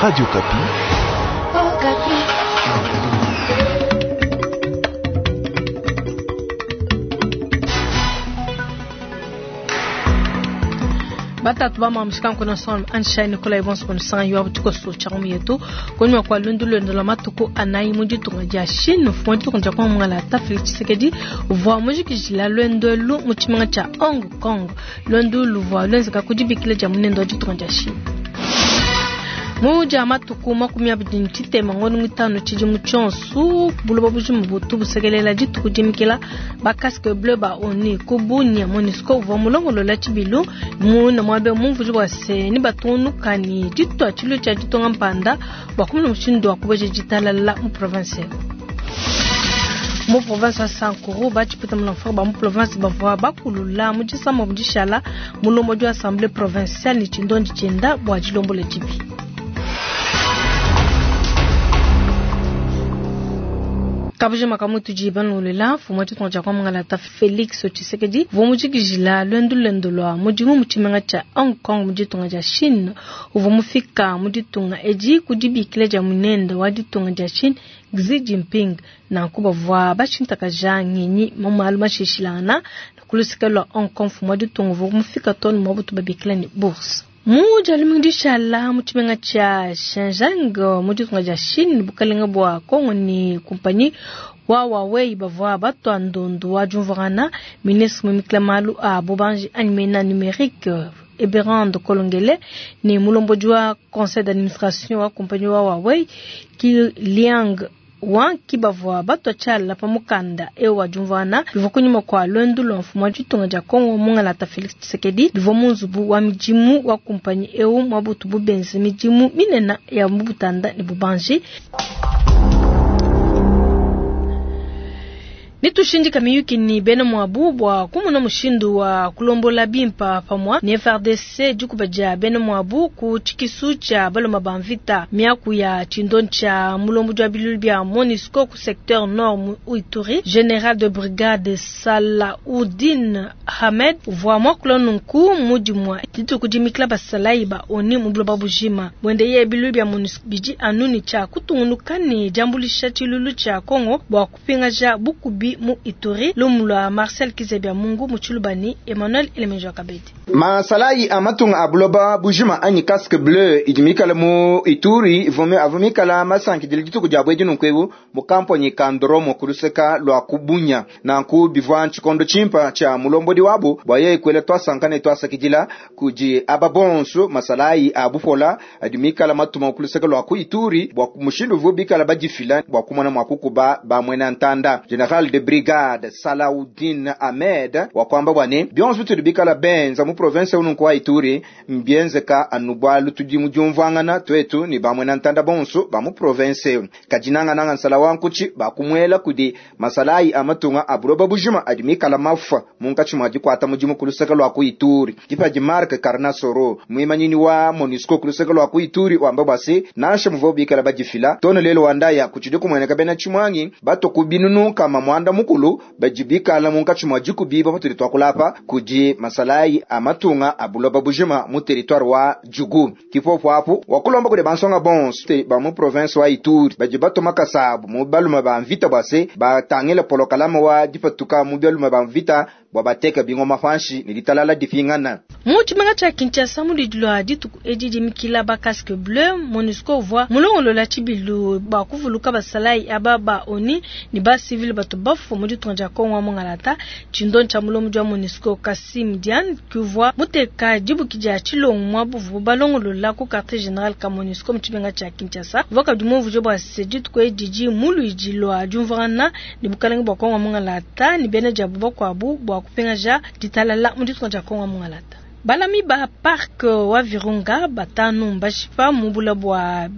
Radio Okapi. Batatu ba mamushika nkona son Anshai Nikolai bonso kono san yo abutuko so chamu yetu konywa kwa lundu lwendo la matuku anayi mu ditunga dia Chine fu ditunga dia kwa mungala ta Felix Tshisekedi uvua mujikijila lwendo lu mu tshimenga tshia Hong Kong. Lwendo luvua lwenzeka ku dibikila dia munene wa ditunga dia Chine. Muja matuku 23 ngondo 5 tshidimu tshionso buloba bujima butu busekelela dituku dimikila ba casque bleu ba ONU ku Bunia. MONUSCO uvua mulongolola tshibilu muna muabe mumvuji bua se ni batungunuka ni ditua tshilu tshia ditunga mpanda bua kumona mushindu wa kubeja ditalala mu province. Mu province wa Sankuru batshipeta mulamfaka ba mu province bavua bakulula mu disamba mu dishala mulombodi wa assemblée provinciale ni tshindondi tshienda bua dilombola dibi. Kabuji makamu tudi banolela mfumu wa ditunga dia kwa Mongala Felix Tshisekedi uvua mujikijila lwendo lwendo lwa mudimu mu tshimenga tshia Hong Kong mu ditunga dia Chine. Uvua mufika mu ditunga edi ku dibikila dia munene wa ditunga dia Chine Xi Jinping. Nanku bavua bashintakaja ngenyi mu malu mashishilangana ku luseke lua Hong Kong. Mfumu wa ditunga uvua mufika too ne muabutu babikila ne bourse. Mu dia dishala mu tshimenga tshia Shenzhen mu ditunga dia Chine bukalenga bua Kongo ni kumpanyi wa Huawei bavua batua ndondu wa diumvuangana. Ministre mumikila malu a bubanji anyi mena numérique Eberande Kolongele ni mulombodi wa conseil d'administration wa kumpanyi wa Huawei Ki Liang Wang ki bavua batua tshiala pa mukanda eu wa diumvuangana bivua kunyima kua lwendo lua mfumu wa ditunga dia Kongo Mungalata Felix Tshisekedi bivua mu nzubu wa midimu wa kumpanyi eu muabutu bubenze midimu minene ya mubutanda ne bubanji. Nitushindika miyuki ni bena mwabu bua kumuna mushindu wa kulombola bimpa pamwa ni FARDC dikuba dia bena mwabu ku tshikisu tshia baloma ba mvita miaku ya tshindo tshia mulombo wa bilulu bia MONUSCO ku secteur nord mu Ituri. Général de brigade Salaudine Ahmed uvua mwakula nunku mudimua dituku dimikila basalayi ba ONU mu buloba bujima bwende ye bilulu bia MONUSCO bidi anuni tshia kutungunuka ne diambulisha tshilulu tshia Kongo bua kupingaja bukubi mu Ituri. Lumu lwa Marcel Kizebia Mungu mu Tshilubani, Emmanuel Elemenjo Kabedi. Masalayi a matunga a buloba bujima anyi casque bleu idi mikala mu Ituri vome avu mikala masankidile dituku dia bwedi nunku mu kamponyi ka Ndoromo ku luseka lua kubunya nanku bivua tshikondo tshimpa tshia mulombodi wabu bua yeye kuela twasanka ne twasakidila kudi aba bonso masalayi a bupola adi mikala matuma ku luseka lua ku Ituri bua mushindu uvu bikala badifila bua kumona mua kukuba ba muena ntanda. General de brigade Salaudine Ahmed wa kwamba bwane bionso bitudi bikala benza mu province ununku wa Ituri mbienzeka anu bwalu tudi mu diumvuangana twetu ni bamwe na ntanda bonso ba mu province kadinanga nsala wa nkuchi bakumwela kudi masalayi amatunga abuloba bujima adi mikala mafa munkatshi mwa dikwata mudimu ku luseke lua ku Ituri. Dipadi Mark Karnasoro mwimanyini wa MONUSCO ku luseke lua ku Ituri wamba bwase nansha muvo bikala badifila tono lelo wandaya kuchidi kumweneka bena chimwangi bato kubinunu kama mwanda mukulu bajibikala munkatshi mwa dikubiba patudi twakulapa kudi masalayi amatunga abuloba bujima mu territoire wa Djugu. Kipopo apo wakulomba kudi bansonga bonso te ba mu province wa Ituri badi batoma kasabu mu baluma ba mvita bwase batangila polokalama wa dipatuka mu baluma ba mvita bwa bateka bingoma panshi ni ditalala dipingana. Mu tshimenga tshia Kinshasa mu lwa dituku edi dimikila ba casque bleu MONUSCO uvua mulongolola tshibilu ba kuvuluka basalayi aba ba ONU ni ba civil bato bafu mu ditunga dia Kongo wa Mongalata. Tshindo tshia mulombo wa MONUSCO Kassim Diane kuvua muteka dibuki dia tshilongo mwa buvu balongolola ku quartier général ka MONUSCO mu tshimenga tshia Kinshasa. Uvua kabidi mumvuje bua se dituku edi di muluidi lwa diumvuangana ne bukalenge bua Kongo wa Mongalata ni bena diabu bakuabu bua kupingaja ditalala mu ditunga dia Kongo wa Mongalata. Balami ba parc wa Virunga batanu mbashipa mu bula bua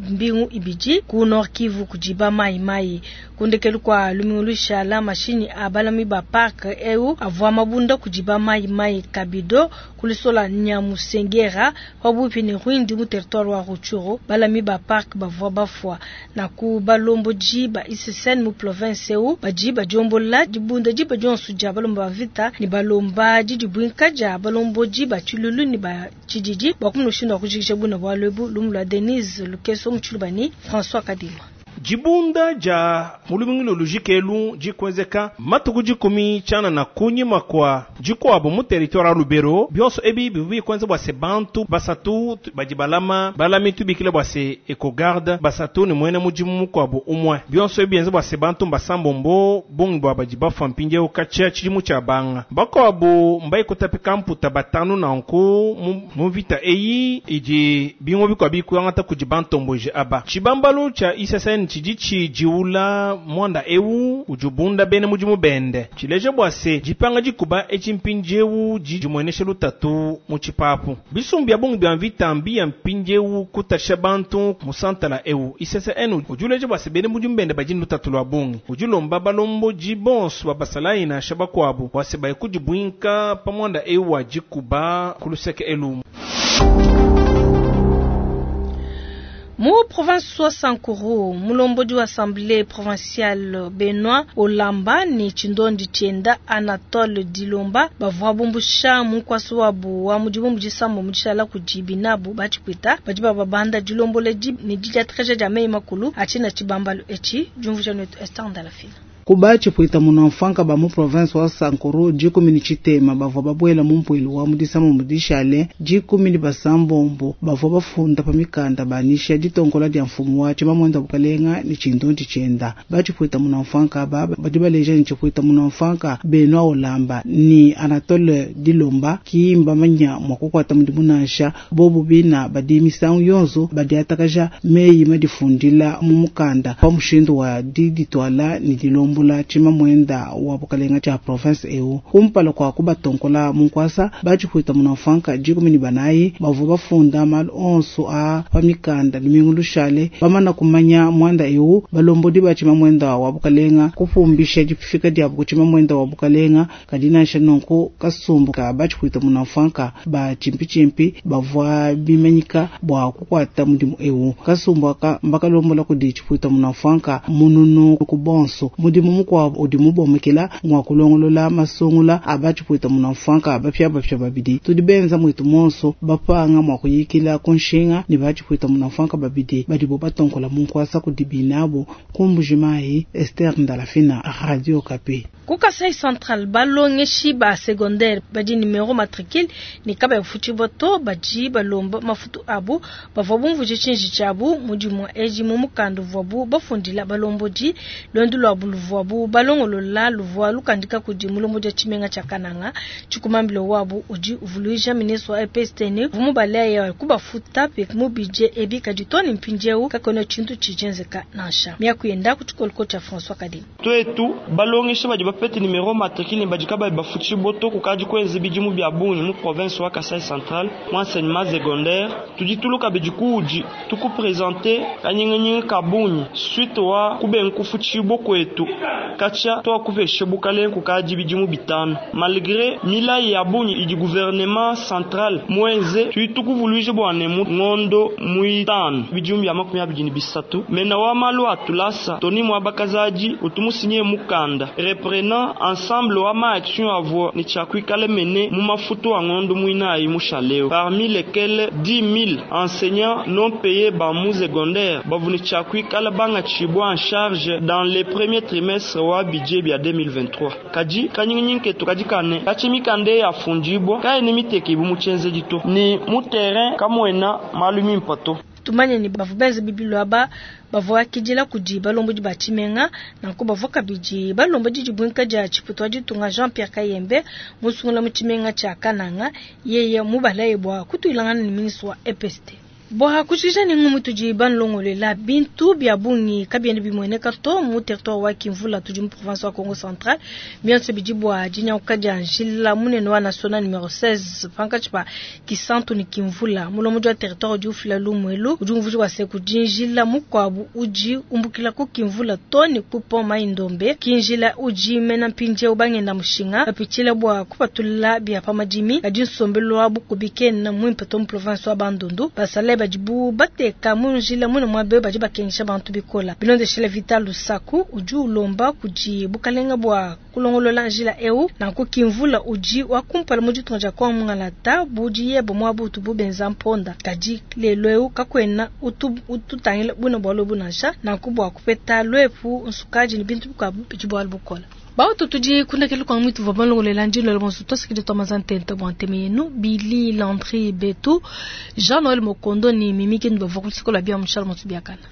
mbingu ibidi ku Nord Kivu kudi ba Mai Mai. Ku ndekelu kua lumingu lushala, mashinyi a balami ba parc eu avua mabunda kudi ba Mai Mai Kabido ku lusola Nyamusengera pabuipi ne Rwindi mu territoire wa Rutshuru. Balami ba parc bavua bafua. Naku balombodi ba ICCN mu province eu badi badiombola dibunda diba dionso dia balomba ba mvita ne balomba didibuinka dia balombodi ba tshilulu ne ba tshididi bua kumona mushindu wa kujikija buna bualu ebu. Lumu lua Denise Lukeso mu Tshiluba ne François Kadima. Dibunda dia mu lumingu lujike elu dikuenzeka matuku 10 tshianana kunyima kua dikuabu mu territoire ya Lubero. Bionso ebi bivua bikuenza bua se bantu basatu badi balama balami tubikile bua se ecogarde basatu ne muena mudimu mukuabu umue. Bionso ebi bienza bua se bantu mbasambombo bungi bua badi bafua mpindieu katshia tshidimu tshia banga. Bakuabu mbaikutapika mputa batanu nanku mu mvita eyi idi bimue bikuabu bikuangata kudi bantomboji aba. Tshibambalu tshia ICCN tshidi tshidiula mwanda eu udi ubunda bena mudimu bende. Tshileja bua se dipanga dikuba etshi mpindieu dimuenesha lutatu mu tshipapu. Bisumbu bia bungi bia mvita mbi ya mpindieu kutasha bantu mu santala eu. ICCN udi uleja bua se bena mudimu bende badi lutatu lua bungi. Udi ulomba balombodi bonso ba basalayi nansha bakuabu bua se baye kudibuinka pa mwanda eu wa dikuba ku luseke elu. Mu province wa Sankuru, mulombodi wa assemblée provinciale Benoît Olamba ne Tshindondi Tshienda Anatole Dilomba bavua bumbusha munkwasi wabu wa mudimu mu disambo mu dishala kudi binabu batshipwita badi bababanda dilomboledi ne didiatreja dia meyi makulu atshina tshibambalu etshi. Diumvuija netu Esther Ndalafina. Kuba tshipwita munamfanka ba mu province wa Sankuru 10 ni tshitema bavua babwela mu mpuilu wa mu disambo mu dishale 10 ni basambombo bavua bafunda pa mikanda banisha ditonkola dia mfumu wa tshimamwenda bukalenga ni Tshindondi Tshienda. Ba tshipwita munamfanka aba badi baleja ni tshipwita munamfanka Benoît Olamba ni Anatole Dilomba ki mbamanya mwa kukwata mudimu nansha bobu bina badi misangu yonso badi atakaja meyi madifundila mu mukanda pa mushindu wa diditwala ni dilomba mbula tshimamwenda wa bukalenga tshia province eu. Kumpala kwa kubatonkola munkwasa batshipwita munamfanka 14 bavua bafunda malu onso a pa mikanda lumingu lushale bamana kumanya mwanda eu balombodi ba tshimamwenda wa bukalenga kupumbisha difika diabu ku tshimamwenda wa bukalenga kadi nansha nunku kasumbu ka batshipwita munamfanka ba tshimpi bavua bimanyika bua kukwata mudimu eu. Kasumbu aka mbakalombola kudi tshipwita munamfanka mununu ku bonso mudimu mukuabu udi mubomekela ngwa kulongolola masungula abatshipwita munamfanka bapya bapya babidi tudi benza mwitu monso bapanga mwa kuyikila kunshinga ni batshipwita munamfanka babidi badibo batonkola munkwasa kudi binabo kumbujimayi. Esther Ndalafina, Radio Okapi. Ku Kasai Central balongeshi ba secondaire badi numero matricule ne kaba ya futi boto badi balomba mafutu abu bavua bumvuje tshinji tshiabu mudimu eji mu mukanda uvuabu bafundila balombodi lwendu lwabu luvuabu balongolola luvua lukandika kudi mulombodi wa tshimenga tshia Kananga. Tshikumambilo wabu udi uvuluija ministre wa EPST ne vumubaleya kubafuta pe mu budget ebi kadi to ne mpindieu kakuena tshintu tshijenzeka nansha. Miaku yenda ku tshikoloko tshia François Kadima. Twetu balongesha badi bapete numero matricule ne badi kabayi bafuti boto kukadi kuenza bidimu bia bungi mu province wa Kasai Central mu enseignement secondaire tudi tuluka bidi kuudi tukupresente kanyinganyinga ka bungi suite wa kubenga kufutshibo kwetu katshia twakupesha bukalenga kukadi bidimu bitanu malgré milayi ya bungi idi gouvernement central mwenze tudi tukuvuluija bua ne mu ngondo muitanu bidimu bia 23 mena wa malu atulasa toni mwa bakazaji utumusinye mukanda reprenant ensemble wa ma action avua ni tshiakuikala mene mu mafutu a ngondo muinayi mushaleo parmi lesquels 10 000 enseignants non payés ba mu secondaire bavuni tshiakuikala banga tshibwa en charge dans les premiers trimestres wa budget bia 2023 kadi kanyinginyingi ketu kadi kane katshi mikanda ya fundibwa kaene miteke ibu mu tshienzedi to ni mu terrain kamwena malu mimpa to. Tumanye ni bavua benza bibilu aba bavua kidila kudi balombodi ba tshimenga nanku bavua kabidi balombodi dibuinka dia tshiputu wa ditunga Jean-Pierre Kayembe musungula mu tshimenga tshia Kananga yeye mubalaye bua kutuilangana ne ministre wa EPST. Bua kujikija ne ngumu tudi banulongolela bintu bia bungi kabiena bimueneka to mu territoire wa Kimvula tudi mu province wa Kongo Central. Bionso bidi bua dinyanguka dia njila munene wa national numero 16 pankatshi pa Kisantu ne Kimvula. Mulombodi wa territoire udi ufila lumu elu udi umvuija bua se kudi njila mukuabu udi umbukila ku Kimvula to ne ku pont Mai-Ndombe. Ki njila udi mena mpindieu bangenda mushinga bapitshila bua kupatula bia pa madimi, kadi nsombelu wa bukubi kena muimpe to mu province wa Bandundu. Basalayi badibu bateka mu njila muine muaba eu badi bakengesha bantu bikole. Bilondeshile Vital Lusaku udi ulomba kudi bukalenga bua kulongolola njila eu, nanku Kimvula udi wa kumpala mu ditunga dia Kongo mungalata bu diyeba muaba utubu benza mponda, kadi lelu eu kakuena utu ututangila buine bualu ebu nansha. Nanku bua kupeta luepu, nsukadi ne bintu bikuabu bidi bualu bukole. Bautu tudi kundekelu kua muitu vua balongolela ndilo bonso tuasikidi tua mazantente bua nteme yenu Billy Landry Betu Jean Noël Mokondo ni Mimi Kindu bavua ku luseke lua bia mushala motu biakana.